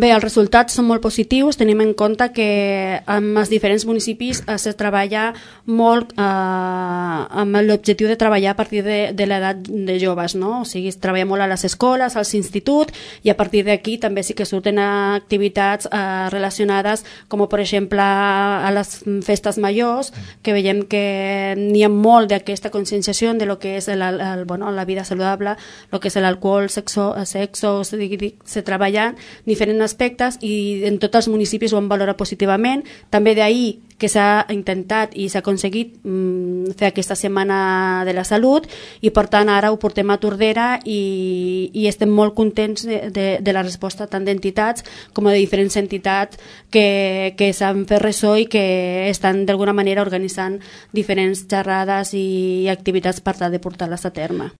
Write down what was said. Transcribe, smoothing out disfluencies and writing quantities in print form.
Bé, els resultats són molt positius, tenim en compte que en els diferents municipis es treballa molt amb l'objectiu de treballar a partir de l'edat de joves, no? O sigui, es treballa molt a les escoles, als instituts, i a partir d'aquí també sí que surten activitats relacionades, com per exemple a les festes majors, que veiem que n'hi ha molt d'aquesta conscienciació de lo que és la vida saludable, el que és l'alcohol, sexo, se treballen diferents aspectes i en tots els municipis ho han valorat positivament. També d'ahir que s'ha intentat i s'ha aconseguit fer aquesta setmana de la salut, i per tant ara ho portem a Tordera i estem molt contents de la resposta tant d'entitats com de diferents entitats que s'han fet ressò i que estan d'alguna manera organitzant diferents xerrades i activitats per tal de portar-les a terme.